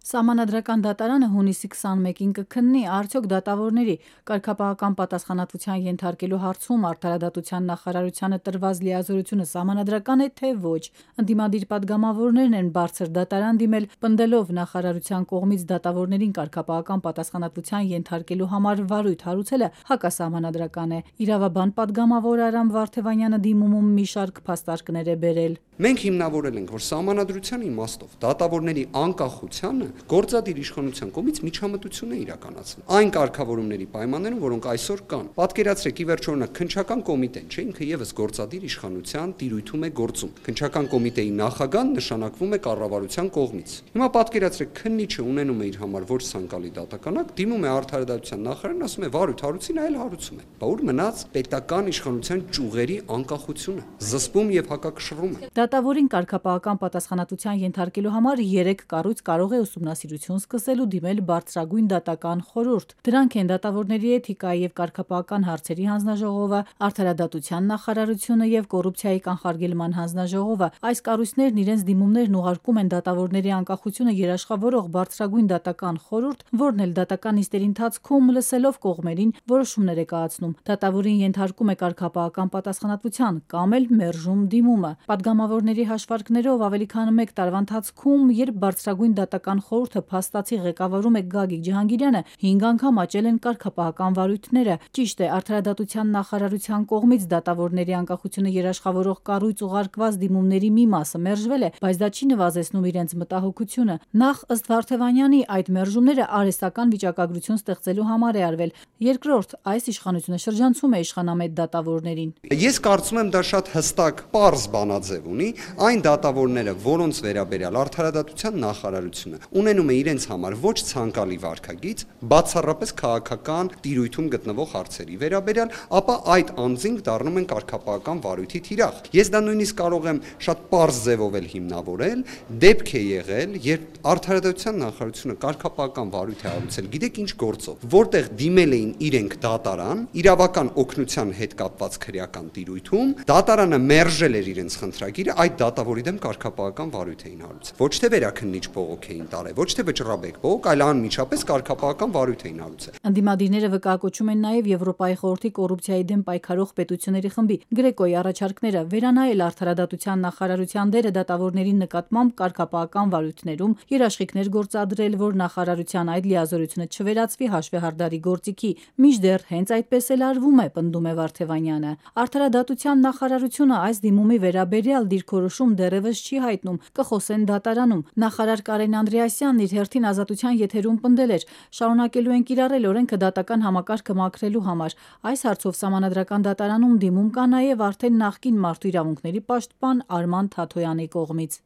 Սահմանադրական դատարանը հունիսի 21-ին կքննի արդյոք դատավորների կարգապահական պատասխանատվության ենթարկելու հարցում Արդարադատության նախարարությանը տրված լիազորությունը սահմանադրական է, թե ոչ։ Ընդդիմադիր պատգամավորներն են բարձր դատարան դիմել, պնդելով նախարարության կողմից դատավորներին կարգապահական պատասխանատվության ենթարկելու համար վարույթ հարուցելը հակասահմանադրական է։ Իրավաբան պատգամավոր Արամ Վարդևանյանը դիմումում մի շարք փաստարկներ է բերել։ Մենք հիմնավորել ենք, որ սահմանադրության իմաստով դատավորների անկախությանը գործադիր իշխանության կողմից միջամտություն է իրականացվում այն կարգավորումների պայմաններում, որոնք այսօր կան։ Պատկերացրեք, ի վերջո օրինակ քննչական կոմիտեն, չէ, ինքը եւս գործադիր իշխանության տիրույթում է գործում։ Քննչական կոմիտեի նախագահն նշանակվում է կառավարության կողմից։ Հիմա պատկերացրեք, քննիչը ունենում է իր համար ոչ ցանկալի դատականակ, դիմում է Արդարադատության նախարարին, ասում է վարույթ հարուցին, այլ հարուցում է։ Բա ուր մնաց պետական իշխանության ճյուղերի անկախությունը, զսպում եւ հակակշռում է։ Դատավորին կարգապահական պատասխանատվության ենթարկելու համար 3 կառույց կարող է ուսումնասիրություն սկսել ու դիմել բարձրագույն դատական խորհուրդ։ Դրանք են դատավորների էթիկայի եւ կարգապահական հարցերի հանձնաժողովը, Արդարադատության նախարարությունը եւ կոռուպցիայի կանխարգելման հանձնաժողովը։ Այս կառույցներն իրենց դիմումներն ուղարկում են դատավորների անկախությունը երաշխավորող բարձրագույն դատական խորհուրդ, որն էլ դատական նիստերի ընթացքում լսելով կողմերին որոշումներ է կայացնում։ Դատավորին ենթարկում է կարգապահական պատասխանատվության կամ էլ մերժում դիմումը։ Պատգամավորների հաշվարկներով ավելի քան 1 տարվա ընթացքում, երբ բարձրագույն դատական խորհուրդը փաստացի ղեկավարում է Գագիկ Ջհանգիրյանը, 5 անգամ աճել են կարգապահական վարույթները։ Ճիշտ է, Արդարադատության նախարարության կողմից դատավորների անկախությունը երաշխավորող կառույց ուղարկված դիմումների մի մասը մերժվել է, բայց դա չի նվազեցնում իրենց մտահոգությունը։ Նախ, ըստ Վարդևանյանի, այդ մերժումները արհեստական վիճակագրություն ստեղծելու համար է արվել։ Երկրորդ, այս իշխանությունը շրջանցում է իշխանամետ դատավորներին։ Ես կարծում եմ դա շատ հստակ պարզ բանաձև ունի, այն դատավորները, որոնց վերաբերյալ Արդարադատության նախարարությունը ունենում է իրենց համար ոչ ցանկալի վարքագիծ, բացառապես քաղաքական տիրույթում գտնվող հարցերի վերաբերյալ, ապա այդ անձինք դառնում են կարգապահական վարույթի թիրախ։ Ես դա նույնիսկ կարող եմ շատ պարզ ձևով էլ հիմնավորել, դեպք է եղել, երբ Արդարադատության նախարարությունը կարգապահական վարույթ է հարուցել, գիտեք ինչ գործով, որտեղ դիմել էին իրենք դատարան, իրավական օգնության հետ կապված քրեական տիրույթում, դատարանը մերժել էր իրենց խնդրագիրը, այդ դատավորի դեմ կարգապահական վարույթ էին հարուցել։ Ոչ թե վերաքննիչ բողոք էին տարել, ոչ թե վճռաբեկ բողոք, այլ անմիջապես կարգապահական վարույթ էին հարուցել։ Ընդդիմադիրները վկայակոչում են նաև Եվրոպայի խորհրդի կոռուպցիայի դեմ պայքարող պետությունների խմբի Գրեկոյի առաջարկները վերանայել Արդարադատության նախարարության դերը դատավորների նկատմամբ կարգապահական վարույթներում, երաշխիքներ գործադրել, որ նախարարության այդ լիազորությունը չվերածվի հաշվեհարդարի գործիքի։ Մինչդեռ հենց այդպես էլ արվում է, պնդում է Վարդևանյանը։ Արդարադատության նախարարությունը այս դիմումի վերաբերյալ դիրքորոշում դեռևս չի հայտնում, կխոսեն դատարանում։ Նախարար Կարեն Անդրեասյանն իր հերթին Ազատության եթերում պնդել էր. շարունակելու են կիրառել օրենքը դատական համակարգը մաքրելու համար։ Այս հարցով Սահմանադրական դատարանում դիմում կա նաև արդեն նախկին Մարդու իրավունքների պաշտպան Արման Թաթոյանի կողմից։